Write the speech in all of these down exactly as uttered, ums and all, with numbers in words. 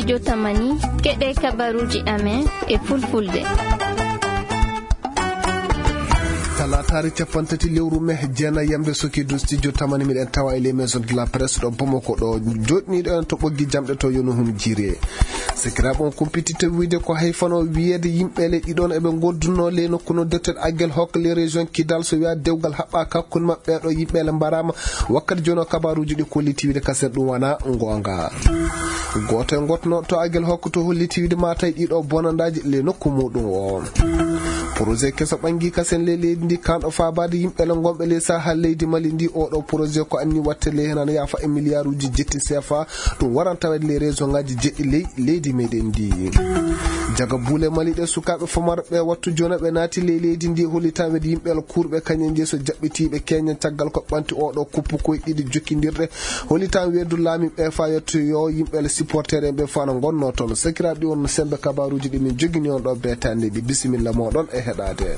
Studio Tamani, keɗee kabaruuji amen e Fulfulde. Talaataare cappanɗe tati lewru mee, jeenayi yamde sokii dow Studio Tamani, miɗen tawa e les maisons de la presse ɗo Bamako ɗo, jooɗniiɗo en to ɓoggi jamɗe to, yo no hum jiiree. Sekiraaɓe, on kumpititta wiide ko hay fano wiyeede yimɓe le ɗiɗon eɓe ngondunoo ley nokku no defteeɗo Aguelhok ley région Kidal, so wiyaa dewgal haɓɓaaka hakkunde maɓɓe, ɓee ɗoo yimɓe le mbaraama. Wakkati jooni o, kabaaruuji ɗi kolliti wiide kasen ɗum wanaa ngoonga. Gooto e gootnooɗo to Aguelhok to holliti wiide maa tawi ɗii ɗoo bonandaaji ley nokku muuɗum o. Projet keso ɓanngii kasen ley leydi ndi, kaanɗo faabaade yimɓe le ngonɓe ley sahal leydi Mali ndi. Oo ɗoo projet ko anni waɗte ley heen ana yaafa e miliyaaruuji jetti seefa. Ɗum waran taweede ley région ŋaaji jeɗɗi ley leydi meɗen ndi. Jaga buule Mali ɗe, sukaaɓe famarɓe wattu jooni ɓe naati ley leydi ndi, hollitaa wiyeede yimɓe le kuurɓe kañen jeyi so jaɓɓitiiɓe keñen caggal ko ɓanti oo ɗoo kuppukoy ɗiɗi jokkindirɗe. Hollitaa wiyeede laamiiɓe faa yettoyoo yimɓe le supporter en ɓe faa no ngonnoo toon. Sakiraaɓe, ɗi wonnoo semmbe kabaaruuji ɗi min njogini on ɗoo beetaande ɗi. Bisimilla mooɗon e heɗaade.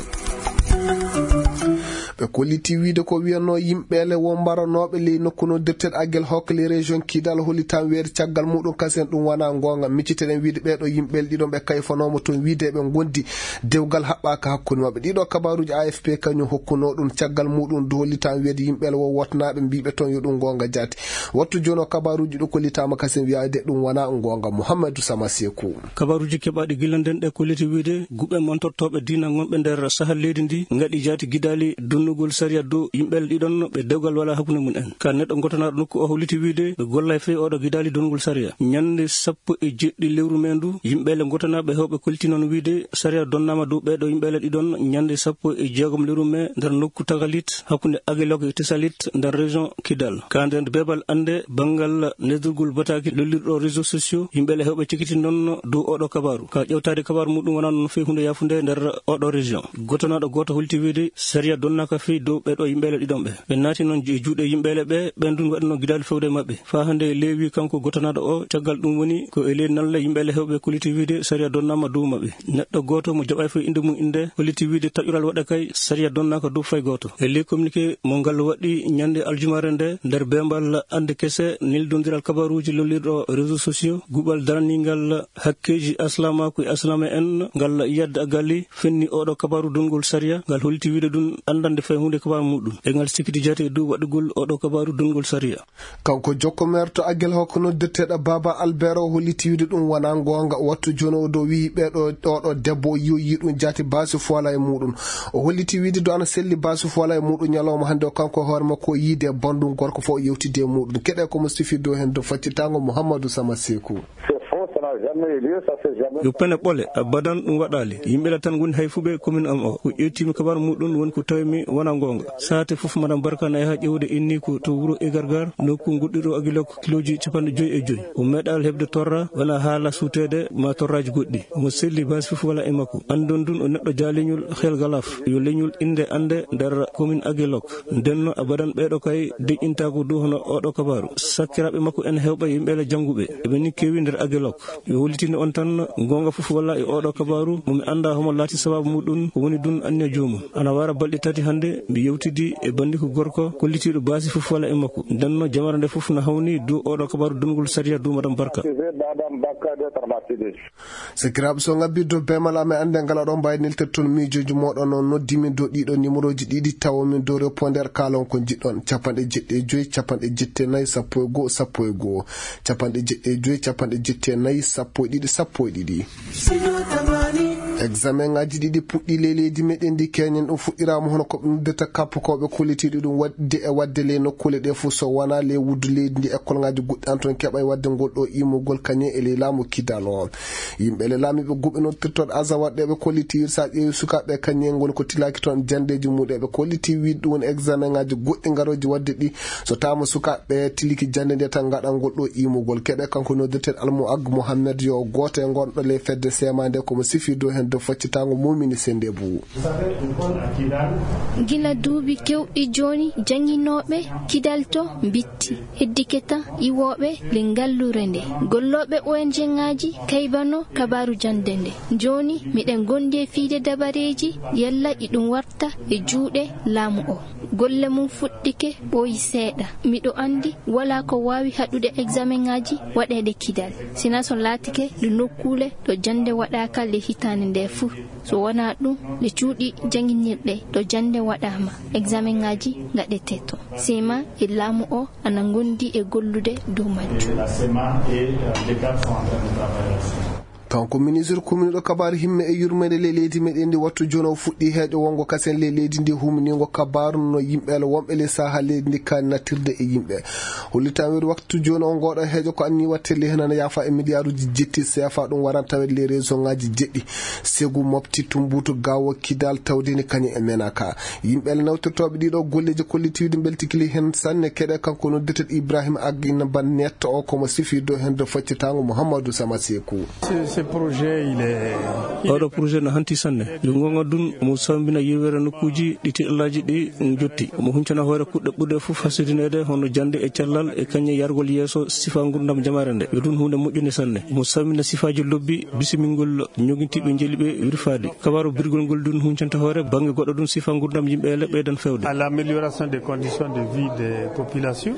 Ɓe kolliti wiide ko wiyanoo yimɓe le won mbaranooɓe ley nokku no defteeɗo Aguelhok ley région Kidal, hollitaa wiyeede caggal muuɗum kasen ɗum wanaa ngoonga. Micciten-ɗen wiide ɓee ɗoo yimɓe le ɗiɗon ɓe kayfanooma toon wiide eɓe ngondi, dewgal haɓɓaaka hakkunde maɓɓe. Ɗii ɗoo kabaaruuji A F P kañum hokkunoo ɗum, caggal muuɗum du hollitaa wiyeede yimɓe le won wootanaaɓe mbiiɓe toon yo ɗum ngoonga jaati. Wattu jooni o, kabaaruuji ɗi kollitaama kasen wiyaade ɗum wanaa ngoonga. Muhammadu Sama Seeku. Kabaaruuji keɓaaɗi gila nden ɗe kolliti wiide guɓe montortooɓe diina ngonɓe nder sahal leydi ndi ngaɗi jaati gidaali donnugol sariya dow yimɓe le ɗiɗon ɓe dewgal walaa hakkunde mum en. Ka neɗɗo gotanaaɗo nokku o holliti wiide ɓe gollay fey oo ɗoo gidaali donnugol sariya. Ñannde sappo e jeɗɗi lewru mee ndu, yimɓe le gotanaaɓe heewɓe kolliti noon wiide sariya donnaama dow ɓee ɗoo yimɓe le ɗiɗon ñannde sappo e jeegom lewru mee nder nokku Tagalit hakkunde Aguelhok e Tessalit nder région Kidal. Ka nder beebal annde banngal neldurgol bataaki lollirɗo réseaux sociaux, yimɓe le heewɓe cekiti noon dow oo ɗoo kabaaru. Ka ƴeewtaade kabaaru muuɗum wanaa noon fey huunde yaafunde nder oo ɗoo région. Gotanaaɗo gooto holti wiide sariya donnaaka fey dow ɓee ɗoo yimɓe le ɗiɗon ɓe. Ɓe naati noon e juuɗe yimɓe le ɓe, ɓeen dun waɗanoo gidaali fewde e maɓɓe. Faa hannde leewi kanko gotanaaɗo o, caggal ɗum woni ko e ley nalle yimɓe le heewɓe kolliti wiide sariya donnaama dow maɓɓe. Neɗɗo gooto mo jaɓaay fey innde mum innde holliti wiide taƴural waɗa kay sariya donnaaka dow fay gooto. E ley communiqué mo ngal waɗi ñannde aljumaare nde nder beembal annde kese neldondiral kabaaruuji lollirɗo réseaux sociaux, guɓal daraniingal hakkeeji aslaamaaku e aslaama en ngal Yad Agali fenni oo ɗoo kabaaru dongol sariya, ngal holliti wiide ɗum anndande fay huunde kabaaru muuɗum. E ngal sikkiti jaati e dow waɗugol oo ɗoo kabaaru dongol sariya. Kanko jokko meer to Aguelhok noddirteeɗo Baaba Albert o holliti wiide ɗum wanaa ngoonga. Wattu jooni o dow wiyi ɓee ɗoo, oo ɗoo debbo o yoyii ɗum jaati baasi fo walaa e muuɗum. O holliti wiide do ana selli baasi fo walaa e muuɗum ñalawma hannde o, kanko e hoore makko o yiide e banndum gorko fof o yewtidi e muuɗum. Keɗee ko mo sifi dow heen dow faccitaango Muhammadu Sama Seeku. C'est faux, ça n'a jamais eu lieu, ça s'est jamais Yo pene ɓole, abadan ɗum waɗaali. Yimɓe la tan ngoni hay fuɓe commune am o. Ko ƴeewtiimi kabaaru muuɗum woni ko tawimi wonaa ngoonga. Saate fof Madame Barka na yaha ƴeewde inniiko to wuro Egargar, nokku goɗɗiɗo Aguelhok, kilooji capanɗe joy e joy. O meeɗaali heɓde torra, wonaa haala suuteede maa torraaji goɗɗi. Omo selli baasi fof walaa e makko. Anndon ɗum o neɗɗo jaaliñol xel galaaf. Yo leñol innde annde nder commune Aguelhok. Ndenno abadan ɓee ɗoo kay deƴƴintaako dow hono oo ɗoo kabaaru. Sakkiraaɓe makko en heewɓe yimɓe le jannguɓe. Eɓe ni keewi nder Aguelhok. Mi hollitini on tan, goonga fof walaa e oo ɗoo kabaaru, mo mi anndaa homo laati sabaabu muuɗum, ko woni ɗum anniya joomum. Ana wara balɗe tati hannde, mi yewtidi e banndiiko gorko, kollitiiɗo baasi fof walaa e makko. Ndenno jamara nde fof na hawni dow oo ɗoo kabaaru dongol sariya dow Madame Barka. Accusé d'Adam Bakka d'être martyrisé. Sakiraaɓe, so ngabbii dow beemal amen annde ngal, oɗon mbaawi neltirde toon miijooji mooɗon, no noddi min dow ɗii ɗoo nimerooji ɗiɗi, tawo min dow répondeur, kaalon ko njiɗɗon, capanɗe jeɗɗi e joy, capanɗe jetti e nayi, sappo e go'o, sappo e go'o. Capanɗe jeɗɗi e joy, capanɗe jetti e nayi, sappo e ɗiɗi, sappo e ɗiɗi. Examen ŋaaji ɗiɗi puɗɗii ley leydi meɗen ndi, keñen ɗum fuɗɗiraama hono ko ɓe noddata kappukooɓe kollitiiɗo ɗum waɗde e waɗde ley nokkuule ɗee fof, so wonaa ley wuddu leydi ndi, ekkolŋaaji goɗɗi ana toon keɓay waɗde ngol ɗoo iimugol kañum e ley laamu Kidal o. Yimɓe le laamiiɓe guɓe noddirtooɗo Azawad ɗe ɓe kolliti, so a ƴeewi sukaaɓe kañum en ngoni ko tilaaki toon janndeeji mum ɗe ɓe kolliti, wiide ɗum woni examen ŋaaji goɗɗi ngarooji waɗde ɗi. So taama sukaaɓe tiliki jannde nde tan ngaɗan ngol ɗoo iimugol. Keɗee kanko noddirteeɗo Almuag Mohammed yo gooto e ngonɗo ley fedde seemaande ko mo sifi dow heen. Faccitaango Muumini Senndebu. Gila duuɓi keewɗi jooni, jannginooɓe Kidal to mbitti, heddike tan iwooɓe ley ngalluure ndee. Gollooɓe O N G ŋaaji kaybanoo kabaaru jannde ndee. Jooni, miɗen ngondi e fiyde dabareeji, yalla iɗum warta e juuɗe laamu oo. Golle mum fuɗɗike ɓooyi seeɗa. Miɗo anndi walaa ko waawi haɗude eksamenŋaaji waɗeede Kidal, sinaa so laatike ɗo nokkuule ɗo jannde waɗaaka ley hitaande ndee fuu. So wanaa ɗum, ɗe cuuɗi jannginirɗe ɗo jannde waɗaama, eksamenŋaaji ngaɗetee toon. Sima e laamu oo ana ngondi e gollude dow majjum. Kanko ministre kominiiɗo kabaaru himme e yurmeende ley leydi meɗen ndi, wattu jooni o fuɗɗii heeƴo wonngo kasen ley leydi ndi, humniingo kabaaru no yimɓe ala wonɓe ley sahaa leydi ndi kaani nattirde e yimɓe. Hollitaa wiyde wattu jooni o ngooɗo heeƴo ko anniyee waɗetee ley hen ana yaafa e miliyaaruuji jetti seefa, ɗum warani tawede ley reesonŋaaji jeɗɗi. Segu, Mopti, Tumbutu, Gaawo, Kidal, Tawdeni kañum e Menaka. Yimɓe ala nawtirtooɓe ɗiɗo golleeji kollitiiɗi mbeltiima ley hen sanne. Keɗee kanko noddirteeɗo Ibrahima Agina Bannet o, ko mo sifii dow hen dow faccitaango Muhammadu Sama Seeku. Ce, ce projet, il est... Oɗo projet no hanti sanne. Yo ngonga dun mo sambina yewere nokkuuji ɗi tiɗalaaji ɗi jotti. Mo huncana hoore kuɗɗe ɓurɗe fof hasidineede hono jannde e cellal e kañum yargol yeeso sifa ngurdam jamaare nde. Yo dun huunde moƴƴunde sanne. Mo sambina sifaaji lobbi bisimingol ñogintiiɓe njeli ɓe wirfaade. Kabaaru birgol ngol dun huncanta hoore bannge goɗɗo dun sifa ngurdam yimɓe ele ɓeydan fewde. À l'amélioration des conditions de vie des populations.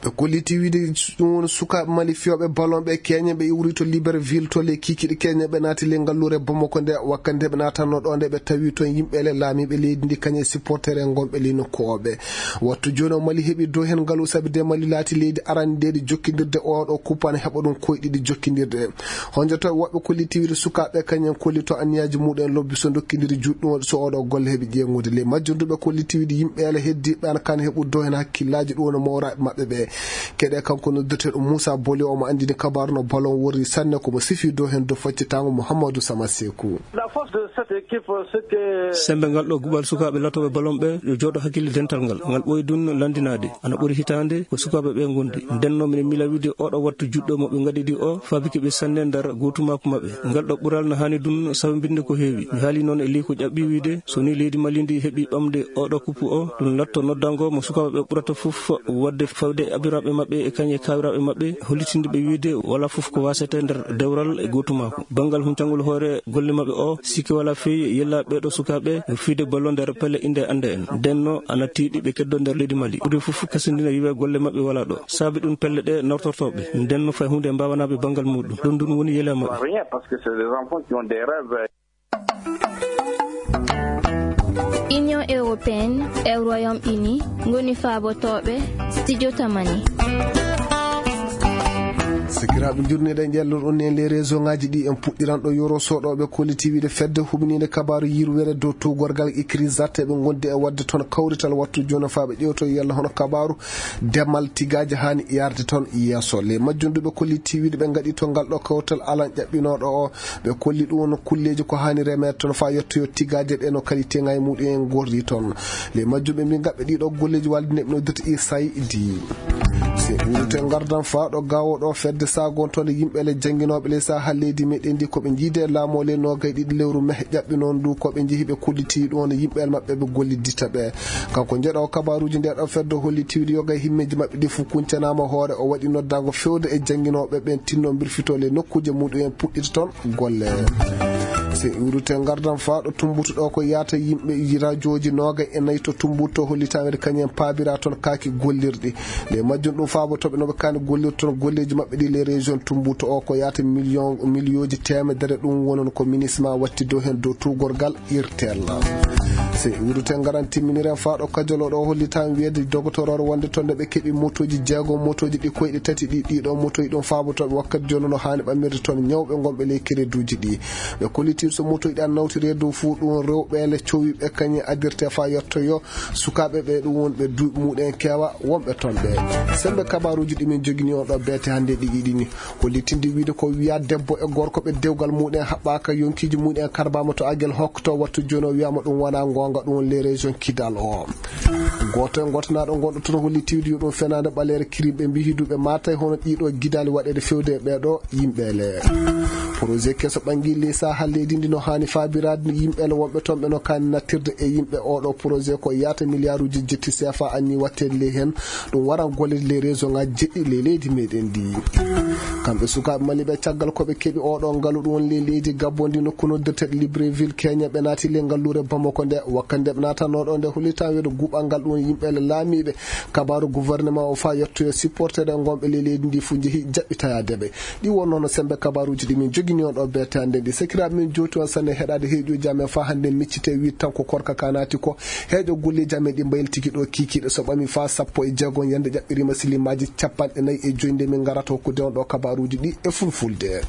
Ɓe kolliti wiide ɗum woni sukaaɓe Mali fiyooɓe ballon ɓe keñe ɓe iwri to Libreville to ley kiikiiɗe keñe ɓe naati ley ngalluure Bamako nde. Wakkati nde ɓe naatanno ɗo nde ɓe tawi toon yimɓe le laamiiɓe leydi ndi kañe supporter en ngonɓe ley nokku o ɓe. Wattu jooni o Mali heɓi dow heen ngalu sabi de Mali laati leydi arandeeri jokkindirde oɗo kuppane heɓa ɗum koyɗi ɗi jokkindirde. Honjoto woɓɓe kolliti wiide sukaaɓe kañen kollito anniyaaji muɗum en lobbi so dokkindiri juuɗe ɗum waɗi so oɗo golle heɓi ƴeeŋude ley majjum. Duɓe kolliti wiide yimɓe ala heddi ɓe ana kan heɓude dow heen hakkillaaji ɗum woni mawraaɓe maɓɓe ɓe. Keɗe kanko noddirteeɗo Moussa Boli omo anndini kabaaru no ballon worri sanne ko mo sifi dow heen dow faccitaango Mouhamadou Sama Seeku. La force de cette équipe, c'est que... Sembe ngal ɗo guɓal sukaaɓe latooɓe ballon ɓe yo jooɗo hakkille dental ngal. Ngal ɓooyi dun lanndinaade. Ana ɓuri hitaande ko sukaaɓe ɓe ngondi. Ndenno miɗen miila wiide oɗo wattu juɗɗo mo ɓe ngaɗi ɗi o faabike ɓe sanne nder gootumaaku maɓɓe. Ngal ɗo ɓural no haani dun sawmbinde ko heewi. Mi haali noon e ley ko ƴaɓɓi wiide so ni leydi Mali ndi heɓi ɓamde oɗo kuppu o, ɗum latto noddango mo sukaaɓe ɓe ɓurata fof waɗde fawde e abiraaɓe maɓɓe e kañe kaawiraaɓe maɓɓe, hollitinde ɓe wiide walaa fof ko waasete nder dewral e gootumaaku. Banngal huncangol hoore golle maɓɓe o, sikke walaa fey yella ɓeeɗo sukaaɓe yo fiyde ballon nder pelle innde annde en. Ndenno ana tiiɗi ɓe keddo nder leydi Mali. Ɓuri fof kasindina wiwe golle maɓɓe walaa ɗo. Saabi ɗum pelle ɗe nawtortooɓe. Ndenno fay huunde mbaawanaaɓe banngal muɗum. Ɗum ɗum woni yela maɓɓe. Rien, parce que c'est des enfants qui ont des rêves. Union Européenne e Royaume Uni ngoni faabotooɓe Studio Tamani. Sakiraaɓe, njurniiɗen ƴellorɗon en ley réseau ŋaaji ɗi. En puɗɗiran ɗo yoro soɗooɓe kolliti wiide fedde huɓiniinde kabaaru yirwere dow tuugorgal Ikrisat, ɓe ngondi e waɗde toon kawrital wattu jooni faa ɓe ƴeewto yalla hono kabaaru demal tigaaji haani yaarde toon yeeso. Ley majjum duɓe kolliti wiide ɓe ngaɗi to ngal ɗo kawtal alan ƴaɓɓinooɗo o. Ɓe kolli ɗum no kulleeji ko haani remeede toon faa yettoyoo tigaaje ɗe no kadi teŋaaji muɗum en ngorri toon. Ley majjum ɓe mbii ngaɓɓe ɗiɗo golleeji walde neɓno dirti i saydi. Se wuurute ngardan faa ɗo gaawo ɗo fedde saagontoonde yimɓe le jannginooɓe ley saha leydi meɗen ndi ko ɓe njiide laamu ley noogay ɗiɗi lewru mehe ƴaɓɓi noon ndu ko ɓe njehi ɓe kolliti ɗum no yimɓe maɓɓe ɓe gollidita ɓe. Kanko jeɗo kabaaruuji nde ɗo fedde holli tiwdi yoga e himmeeji maɓɓe ɗi fof kuncanaama hoore o waɗi noddaango fewde e jannginooɓe ɓen tinno mbirfitoo ley nokkuuje muɗum en puɗɗita toon golle. Se iwrute ngardan faa ɗo Tumbutu ɗo ko yaata yimɓe rajooji noogay e nayi to Tumbutu to hollitaama ede kañum en paabira toon kaaki gollirɗi. Nde majjum ɗum faabo toɓe no ɓe kaani gollirde toon golleeji maɓɓe ɗi ley région Tumbutu o ko yaata million, millionji teemedere ɗum wonon ko minisma watti dow heen dow tuugorgal irtel. Se iwrute ngaran timminiren faa ɗo Kajolo ɗo hollitaama wiyeede dogotoroore wonde toon nde ɓe keɓi motooji jeegom, motooji ɗi koyɗe tati ɗi, ɗiɗo motooji ɗum faabo toɓe wakkati jooni no haani ɓammirde toon ñawɓe ngonɓe ley kereduuji ɗi. Ɓe kolliti so motoji ɗi ana nawtiri e dow fuu ɗum rewɓe le cowiiɓe kañum adirte faa yettoyoo sukaaɓe ɓe ɗum wonɓe duuɓi muɗum en keewa wonɓe toon ɓe. Sembe kabaaruuji ɗi min jogini on ɗo beete hannde ɗi iɗini hollitinde wiide ko wiyaa debbo e gorko ɓe dewgal muɗum en haɓɓaaka yonkiiji muɗum en karbaama to Agel Hokk to wattu jooni o wiyaama ɗum wonaa ngoonga ɗum woni les régions Kidal o. Gooto e ngootanaaɗo ngonɗo toon holli tiwdi yo ɗum fenaande ɓaleere kirimɓe mbihi duuɓe maatay hono ɗiɗo gidaali waɗeede fewde e ɓeeɗo yimɓe le. Porojet keso ɓanngii ley sahaa leydi ndi no haani faabiraade yimɓe le wonɓe toon ɓe no kaani nattirde e yimɓe. Oo ɗoo porojet ko yaata miliyaaruuji jetti seefa annii waɗteede ley heen. Ɗum waran golle ley resoŋaaji jeɗɗi ley leydi meeɗen ndi. Kamɓe sukaaɓe maliiɓe caggal ko ɓe keɓi oo ɗoo ngalu ɗum woni ley leydi gabon ndi nokku noddirteeɗo libreville keña ɓe naati ley ngalluure bamako nde wakkati nde ɓe naatanoo ɗoo nde hollitaa weedo guuɓal ngal ɗum woni yimɓe le laamiiɓe. Kabaaru gouvernement o faa yettoyo supportere ngonɓe ley leydi ndi fuu njehi jaɓɓitayaade ɓe. Ɗi wonnoo no semmbe kabaaruuji ɗi min njogini on ɗoo beete hannde ndi sakiraaɓe min jooti on sanne heɗaade heeƴooji amen faa hannde miccitee wiide tan ko korka kaa naati ko. Heeƴo golleeji amen ɗi mbaylitiki ɗoo kiikiiɗe so ɓami faa sappo e jeegom yande ƴaɓɓiriima silimaaji cappanɗe nayi e joy nde min ngarata hokkude on ɗoo kabaaruuji ɗi e fulfulde.